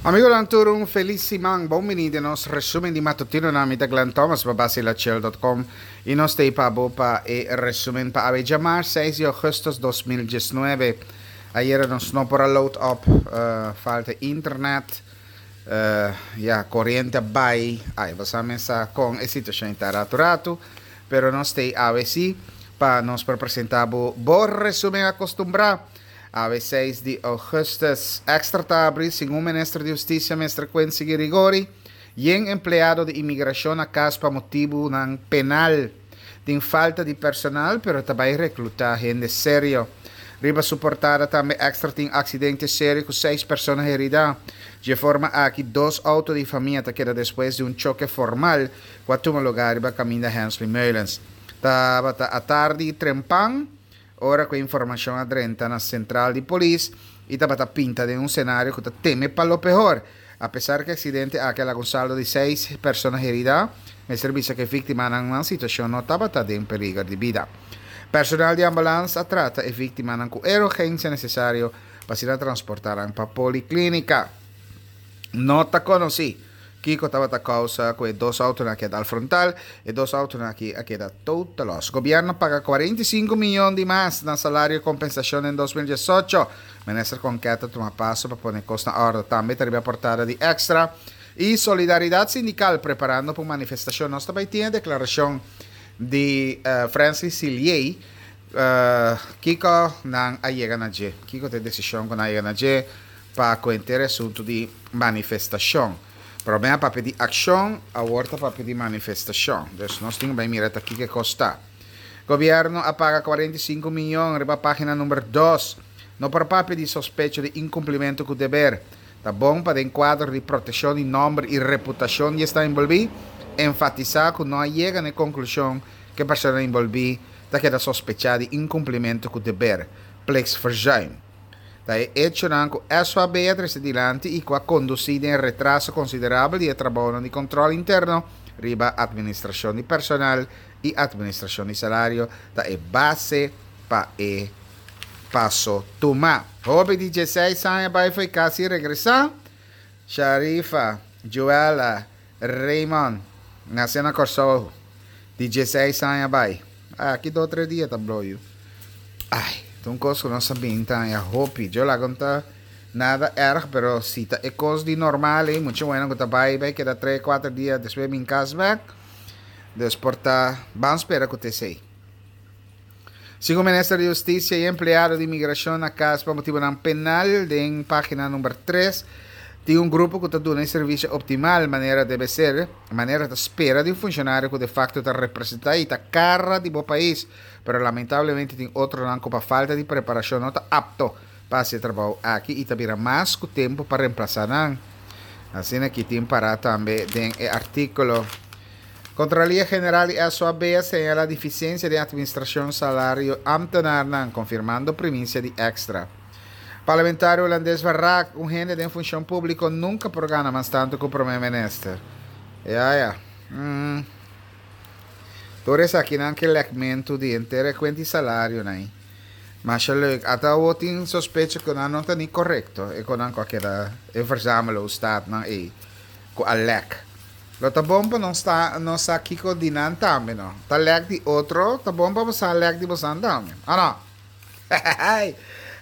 Amigonan tur un felis siman, bon bini den nos resumen di matutinonan, mi ta Glenn Thomas pa Basilachel.com y nos ta pa bo pa e resumen pa awe djamars 6 di augustus 2019. Ayera nos no por a load up, uh, falta internet, uh, ya, coriente a bay, ay, bo sa mesa con e situacion ta ratu ratu, pero nos ta awe si pa nos por presenta bo bo resumen acostumbra. Awe 6 di augustus. Extra ta habri, segun minister di Husticia, Mr. Quincy Girigorie, yen empleado di inmigracion na cas pa motibonan penal. Tin falta di personal, pero ta bay recluta hende serio. Riba su portada tambe Extra tin accidente serio cu seis persona herida. Di forma aki dos auto di famia ta keda despues di un choque formal cu a tuma lugar riba caminda Hensley Meulens. Tabata atardi trempan, ora cu informacion a drenta na central di polis y tabata pinta den un scenario cu ta teme pa lo peor. A pesar cu e accidente aki a laga un saldo di seis persona herida, mester bisa cu e victimanan nan situacion no tabata den peliger di bida. Personal di ambulance a trata e victimanan cu e urgencia necesario pa asina transporta nan pa policlinica. No ta conoci kico tabata causa cu e dos autonan a keda al frontal, e dos autonan aki a keda total loss. Gobierno paga 45 miyon di mas na salario y compensacion den 2018. Minister Konket a tuma paso pa pone cos na orde. Tambe ta riba portada di Extra. Y Solidaridad Sindical preparando pa un manifestacion. Nos tambe tin e declaracion di Francis Silier. Kico nan a yega na dje? Kico ta e decision cu nan a yega na dje pa cu henter e asunto di manifestacion? Prome a papia di accion, awor ta papia di manifestacion. Dus nos tin cu bay mira ta kico e cos ta. Gobierno a paga 45 miyon riba pagina number 2. No por papia di sospecho di incumplimento cu deber. Ta bon pa den cuadro di proteccion di nomber y reputacion di esnan envolvi, enfatisa cu no a yega na e conclusion cu e persona envolvi ta keda sospecha di incumplimento cu deber, plichtsverzuim. Ta e echonan cu SOAB a trece dilanti y cu a conduci den retraso considerabel di e trabounan di control interno riba administracion di personal y administracion di salario ta e base pa e paso tuma. Hopi di dieseis aña bai fo'i cas y regresa. Sharifa, Joella, Raymond, nace na Corsou, di dieseis aña bai. Aki dos tres dia ta blow yu. Ai, ta un cos cu nos a bin ta haña hopi. Yo laga no ta nada erg, pero si ta e cos di normal ei, mucha bueno cu ta bai, bai keda tres, cuater dia, despues bin cas bek. Dus por ta, ban spera cu ta esey. Segun Minister di Husticia y empleado di Inmigracion na cas pa motibonan penal, den pagina number 3, tin un grupo cu ta duna e servicio optimal manera debe ser, manera ta spera di un funcionario cu de facto ta representa y ta cara di bo pais, pero lamentablemente tin otronan cu pa falta di preparacion no ta apto pa haci e trabou aki y ta bira mas cu tempo pa reemplasa nan. Asina aki tin para tambe den e articulo. Contraloria General di SOAB a señala deficiencia den administracion salario ambtenaarnan, confirmando primicia di Extra. Parlamentario Hulandes Van Raak, un hende den funcion publico nunca por gana mas tanto cu Prome Minister. Ja, ja. Mm. Tur esakinan ke lekmento di henter e cuenta di salarionan ei. Masha leuk. Ata awo tin sospecho cu nan no ta ni correcto, e cu nan cu a keda e verzamelo-staatnan ei cu a lek. Lo ta bon pa nos ta nos sa kiko di nan tambe no. Ta lek di otro, ta bon pa bo sa lek di bosan tambe. O no?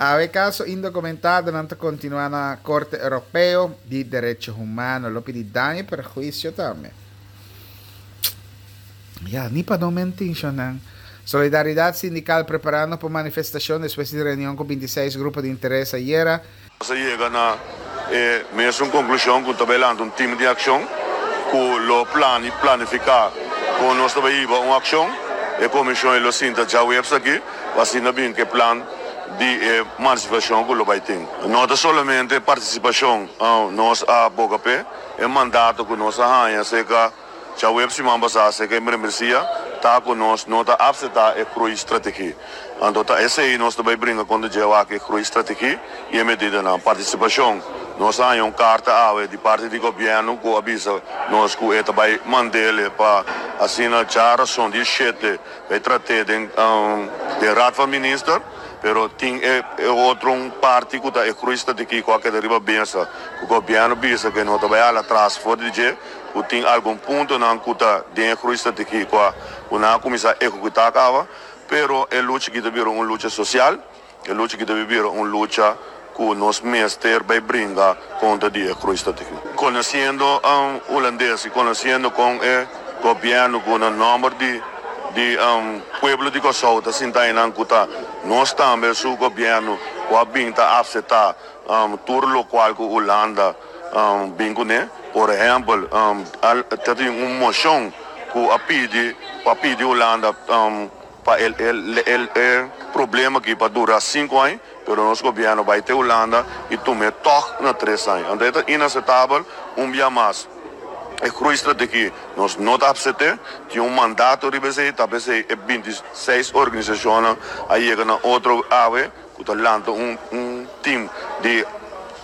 Awe kaso indokumentadonan ta kontinuá na Korte Europeo di Derecho Humano. Lo pidi daño i perhuisio tambe. Ya, ni pa no mentin shonnan. Solidaridat Sindikal preparando pa manifestashon despues di reunion ku 26 grupo di interes ayera. Nos a yega na e mesun konklushon ku ta bai lanta un tim di akshon ku lo planifiká kon nos ta bai hiba un akshon. E komishon ei lo sinta djaweps aki pa asina bin ku e plan di e manisifashon ku lo bai tin. No ta solamente partisipashon nos a boga p'e, e mandato ku nos a haña serka. Djaweps siman pasá serka e membresia ta ku nos no ta apseptá e groeistrategie. Anto ta esei nos ta bai bringa kontra dje wak e groeistrategie i e medidanan. Partisipashon, Nos a haña un karta awe di parti di gobièrnu ku a bisa nos ku e ta bai mand'ele pa asina djarason di e shete bai trat'é den den Raad van Minister. Pero tin e e otro un parti ku ta e groeistrategie ku a keda riba mesa ku gobièrnu bisa ku e no ta bai hala atras for di dje, ku tin algun puntonan ku ta den e groeistrategie ku a ku nan a kuminsá ehekutá kaba, pero e lucha aki ta bira un lucha sosial, e lucha aki ta bira un lucha ku nos mester bai bringa kontra di e groeistrategie. Konosiendo Hulandes i konosiendo kon e gobièrnu ku na nòmber di di pueblo di Kòrsou ta sinta einan ku ta nos tambe su gobièrnu ku a bin ta aseptá tur lokual ku Hulanda bin kuné. Por ehèmpel ta tin un moshon ku a pidi pa pidi Hulanda pa e e problema aki pa dura sinku aña pero nos gobièrnu bai te Hulanda i tum'é tòg na tres aña. Anto e ta inaseptabel un bia mas. E groeistrategie nos no ta apsept'é, tin un mandato riba esei, ta p'esei e 26 organisashonnan a yega na otro awe ku ta lanta un un tim di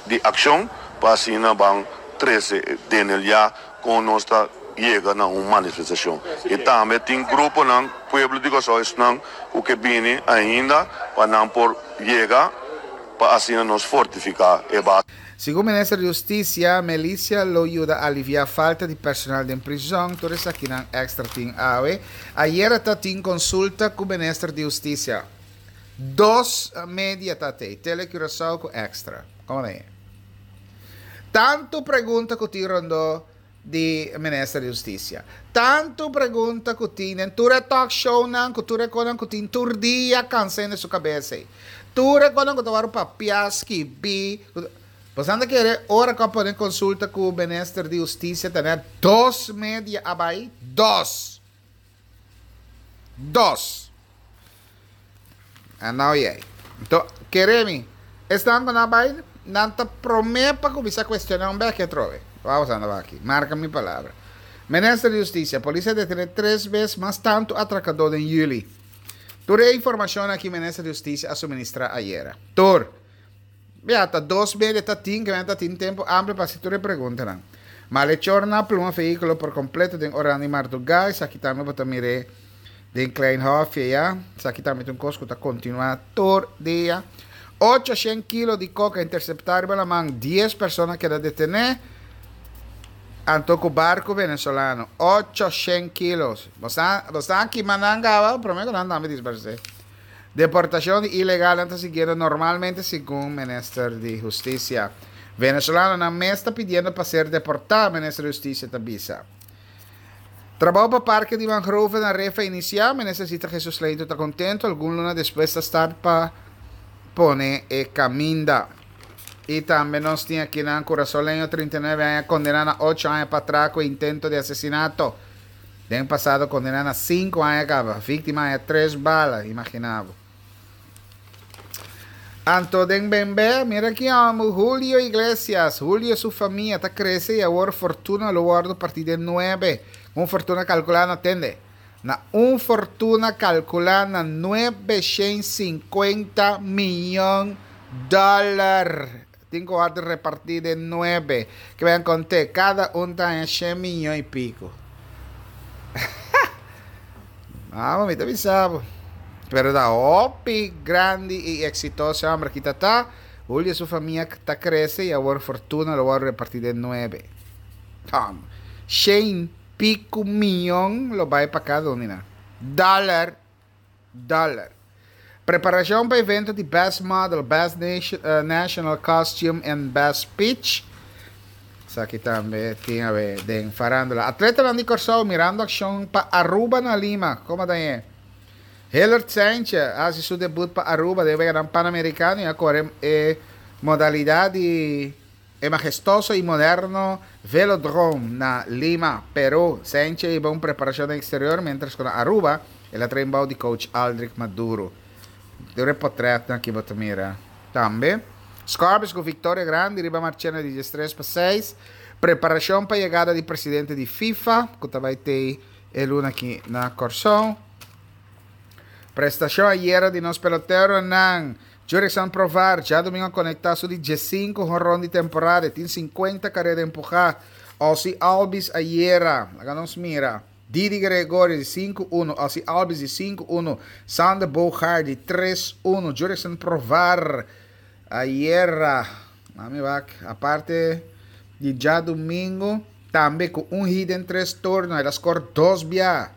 di akshon pa asina ban trese den el ya kon nos ta yega na un manifestashon. I tambe tin gruponan, pueblo di Kòrsou esnan ku ke bini ainda pa nan por yega pa asina nos fortifiká e base. Segun Minister di Hustisia, Melicia lo yuda aliviá falta di personal den prizòn. Tur esakinan extra tin awe. Ayera ta tin konsulta ku Minister di Hustisia. Dos media ta tei, Tele Curaçao ku Extra. Komo ta e? Tantu pregunta ku tin rondó di Minister di Hustisia. Tantu pregunta ku tin den tur e talk shownan, ku tur e konan ku tin tur dia kansa hende su kabes ei. Tur e konan ku ta wòrdu papiá, skibí. Boso ta kere ora ku a pone konsulta ku Minister di Hustisia ta net dos media a bai? Dos! Dos! A nou yei. Nto, kere mi, esnan ku nan bai, nan ta promé pa kuminsá kuestioná un bèki atrobe. Wou sa nan aki. Marka mi palabra. Minister di Hustisia, Polis a detené tres bes mas tantu atrakadó den yüli. Tur e informashonnan aki Minister di Hustisia a suministrá ayera. Tur. Bia, ta dos media ta tin, ke men ta tin tempu amplio pa hasi tur e preguntanan. Malechornan a pluma vehíkulo por kompleto den oran di mardugá, esaki tambe bo ta mir'é den Klein Hofje, ya. Esaki tambe ta un kos ku ta kontinuá tur dia. Ochoshen kilo di koka interseptá riba laman, dies persona a keda detené, anto ku barku venezolano. Ochoshen kilos. Bo sa, bo sa kima nan kaba? Promé ku nan tambe disparsé. Deportacion di ilegalnan ta siguiendo normalmente segun Minister di Husticia. Venezolanonan mes ta pidiendo pa ser deporta, Minister di Husticia ta bisa. Trabou pa parke di mangrove na Refa inicia, Minister Zita Jesus Leito ta contento, algun luna despues ta start pa pone e caminda. Y tambe nos tin akinan Curasoleño 39 aña condena na 8 aña pa atraco e intento di asesinato. Den pasado kondená na sinku aña kaba. Víktima haña tres bala, imaginá bo. Anto den bembé, mira ki hòmber, Julio Iglesias. Julio su famia ta krese i awor fortuna lo wòrdu partí den nuebe. Un fortuna kalkulá na, tende, na un fortuna kalkulá na 950 miyon dòler. Tin ku wòrdu repartí den nuebe. Ke ben kont'é, kada un ta haña shen miyon i piku. Amo, mi ta bisa bo. Pero ta hopi grandi i eksitoso e hòmber aki ta ta. Julio su famia ta krese i awor fortuna lo wòrdu repartí den nuebe. Tom, shen piku miyon lo bai pa kada un di nan. Dòler! Dollar. Preparacion pa evento di Best Model, Best National Costume and Best Speech. Esaki tambe tin awe den farandula. Atletanan di Kòrsou mirando akshon pa Aruba na Lima. Komo ta e? Hillard Saintje a hasi su debut pa Aruba den Weganan Panamericano i a kore e modalidad di E mahestoso i moderno Velodrome na Lima, Peru. Saintje hiba un preparashon den eksterior miéntras ku na Aruba el a train bou di coach Aldrich Maduro. Tur e potrètnan aki bo ta mira tambe. Scorpions ku viktoria grandi riba Marchena di 13-6. Preparashon pa yegada di presidente di FIFA ku ta bai tei e luna aki na Kòrsou. Prestashon ayera di nos peloteronan. Jurickson Profar djadumingu a konektá su di diesinku honron di temporada. E tin sinkuenta kareda empuhá. Ozzie Albies ayera, laga nos mira. Didi Gregorio di 5 uno, Ozzie Albies di 5 uno, Sander Bogaerts di 3 uno, Jurickson Profar ayera, mami wak, aparte di djadumingu, tambe ku un hit den tres turno, el a skor dos bia.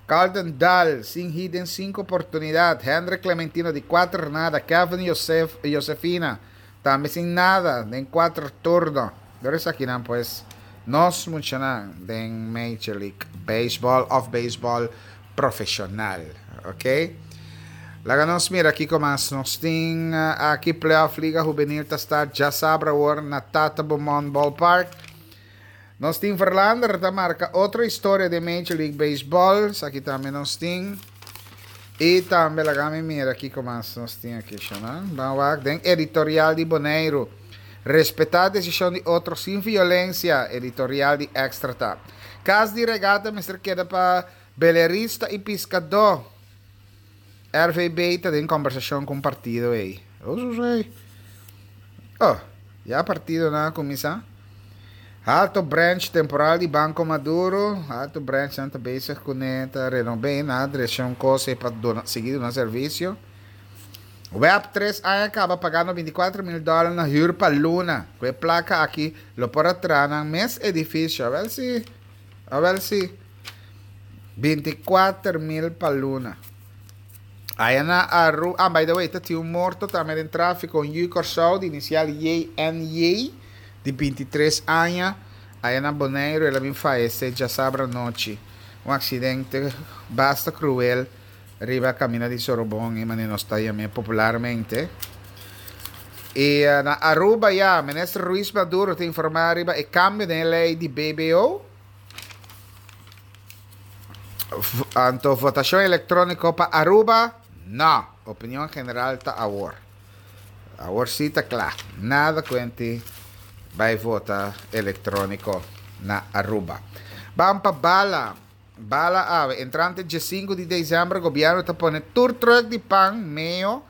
Carlton Dahl sin hit den sinku oportunidat, Hendrik Clementino di kuater nada, Kevin Josef, Josefina tambe sin nada den kuater turno. Dor esakinan pues nos muchanan den Major League Baseball of beisbòl profeshonal. Ok. Laga nos mira kiko mas nos tin aki. Playoff Liga Hubenil ta start djasabra awor na Tata Beaumont Ballpark. Nos tin Verlander ta marca otro historia den Major League Baseball. Esaki tambe nos tin. Y tambe laga mi mira kiko mas nos tin aki shanan. Ban wak den editorial di Boneiru. Respetá desishon di otro sin violencia, editorial di Extra ta. Kas di regata mester keda pa belerista y piskadó. RVB ta den kombersashon ku un partido ei. Oh, ya partidonan a kuminsá. Halto branch temporal di Banco Maduro. Halto branch nan ta bezig kuné, ta renob'é, nan a drecha un kos ei pa duna, sigui duna servisio. Web tres aña kaba pagando 24 mil dòler na hür pa luna. Ku e plaka aki lo por a traha nan mes edifisio. Awèl si, awèl si. 24 mil pa luna. Aya na Aru, ah by the way ta tin un morto tambe den trafiko, un yu Kòrsou di inisial JNJ di 23 aña, aya na Boneiru el a bin fayesé djasabra anochi. Un aksidente basta kruel riba kaminda di Sorobon e manera nos ta yam'é popularmente. I na Aruba ya Minister Ruiz Maduro ta informá riba e kambio den e lei di BBO. Anto votacion electronico pa Aruba? No! Opinion general ta awor. Awor si ta cla. Nada cuenti bay vota electronico na Aruba. Ban pa bala. Bala awe. Entrante diesinco di december gobierno ta pone tur truck di pan meo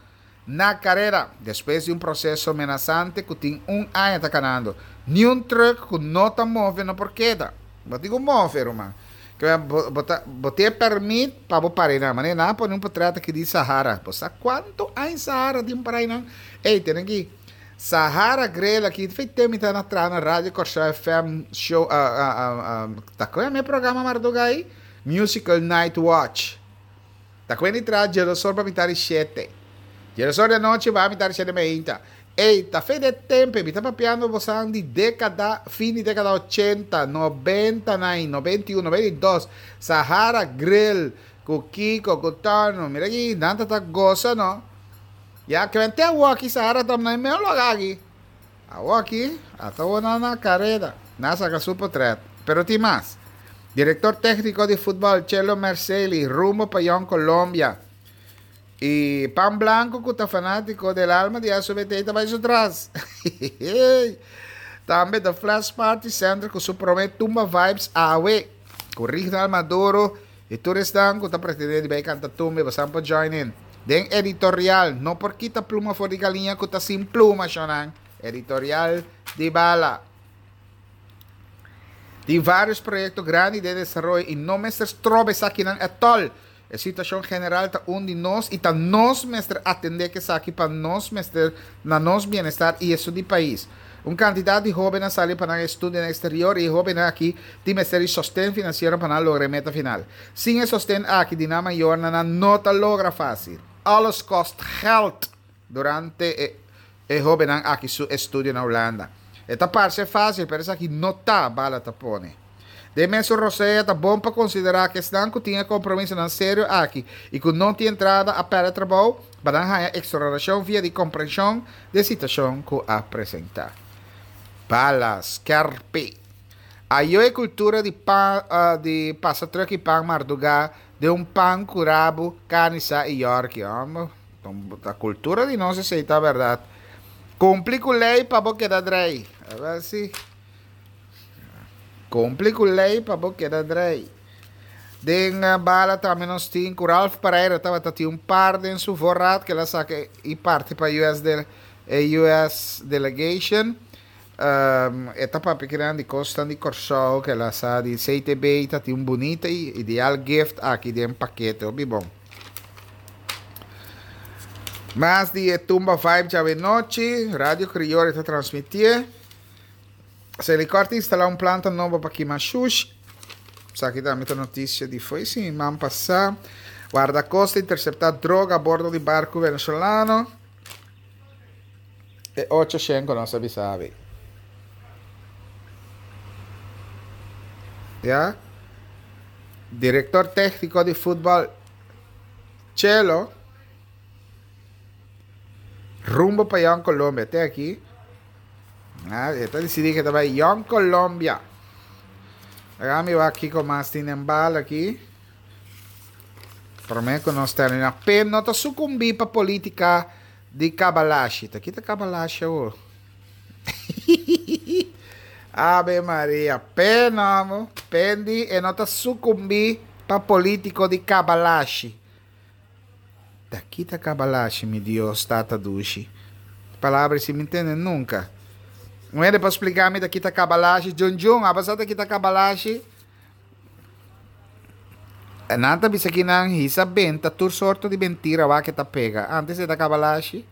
na carera. Despues di un proceso menasante cu tin un aña ta canando. Niun truck cu no ta move no por keda. Bo tin cu move, ruman. Ke bo, bo ta, bo tin e permit pa bo para einan. Manera nan a pone un potret aki di Sahara. Bo sa cuanto aña Sahara tin para einan? Ey, tene aki. Sahara Grill aki, fe tem mi ta na traha na Radio Kòrsou FM show, ta kon e programa marduga ei? Musical Night Watch. Ta kwen di traha djelosor pa mitar di shete. Djelosor di anochi ba mitar di shete meinta. Ey, ta fe de tempe, mi ta papiando bosan di dekada, fin di dekada ochenta, nobenta nai, 91, 92, Sahara Grill, ku Kiko, ku Tono, mira aki, nan ta ta gosa no. Ya kwen te awoki Sahara ta na e meo loga aki. Awoki, ata awor nan na kareda. Nan a saka su potret. Pero tin mas. Direktor tékniko di futbòl Chelo Merceli rumbo pa Jong Colombia. I Pan Blanco ku ta fanátiko del alma di SOBT ta bai su tras. Tambe The Flash Party Center ku su promé Tumba Vibes awe. Ku Rignal Maduro i tur esnan ku ta pretendé di bai kanta tumba i bosan por join in. Den editorial, no por kita pluma for di galiña ku ta sin pluma, shonnan. Editorial di bala. Tin varios proyecto grandi den desaroyo y no mester stroba esakinan etol. E situacion general ta un di nos y ta nos mester atende cu esaki pa nos mester na nos bienestar y esun di pais. Un cantidad di hoben a sali pa nan estudia na exterior y e hobennan aki tin mester di sosten financiero pa nan logra e meta final. Sin e sosten aki di nan mayornan nan no ta logra facil. Alles kost geld! Durante e e hobennan aki su estudio na Hulanda. E ta parce facil, pero esaki no ta, Bala ta pone. Den mesun rosea ta bon pa considera cu esnan cu tin e compromisonan serio aki y cu no tin entrada a perde trabou, pa nan haya exoneracion via di comprension di e situacion cu a presenta. Bala skerpi. Ayo e cultura di pa di pasa truck y pan marduga den un pan cu rabu, carni sa y yorki. Homber. Ta cultura di nos esey ta berdad. Cumpli cu ley pa bo keda drey. A ver si. Cumpli cu ley pa bo keda drey. Den bala tambe nos tin cu Ralph Pereira tabata tin un par den su voorraad cu el a saca y parti pa US de, e US delegation. E ta papia kinan di kosnan di Kòrsou ku el a sa di CTB ta tin un bunita i ideal gift aki den pakete hopi bon. Mas di e Tumba Vibe djawe nochi, Radio Kriori ta transmitié. Selikor ta instalá un planta nobo pa kima shushi. Esaki tambe ta notisia di fo'i siman pasá. Wardakosta interseptá droga a bordo di barku venezolano. E ocho shen ku nos a bisa abi. Ya. Direktor tékniko di futbòl Chelo rumbo pa Jong Colombia. Te aki. Ah, e ta disidí ke ta bai Jong Colombia. Laga mi wak kiko mas tin den bal aki. Promé ku nos terminá. Pe no ta sukumbí pa polítika Di kabalashi. Ta kita kabalashi awor? Ave Maria. Pe no, pendi e no ta sucumbi pa politico di kabalashi. Ta kita kabalashi, mi Dios, tata dushi. Palabra si mi ntende nunca. Un hende por splica mi ta kita kabalashi? Jun Jun, abo sa ta kita kabalashi? Nan ta bisa ki nan hisa benta tur sorto di mentira wak e ta pega. Antes e ta kabalashi.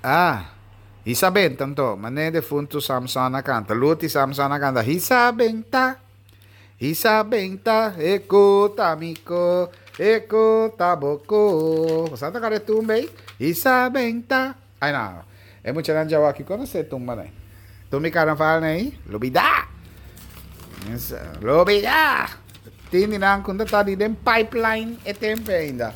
Ah, hisa benta anto. Mane defuntu Samson a kanta. Luti Samson a kanta. Hisa benta, hisa benta, e ku ta mi ko, e ku ta bo ko. Bo sa toka e tumba ei? Hisa benta. Ai no, e muchanan djawa aki konosé tumba nei. Tumba i karnaval nei, lubidá! Lubidá! Tin di nan ku ta ta di den pipeline e tempu ainda.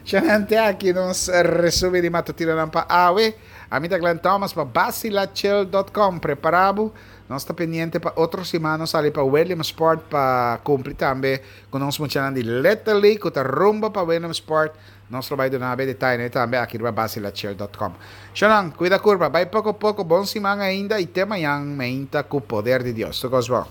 Shanante aki nos resumi di matutinonan pa awe. Ami ta Glenn Thomas pa Basilachel dot com. Prepará bo, nos ta pendiente pa otro siman nos sali pa Williamsport pa kumpli tambe ku nos muchanan di Little League ku ta rumbo pa Williamsport. Nos lo bai duna be detayenan tambe aki riba basilachel dot com. Shonan, cuida curpa, bai poco poco, bon siman ainda y te mañan meinta cu poder di Dios. Tur cos bon.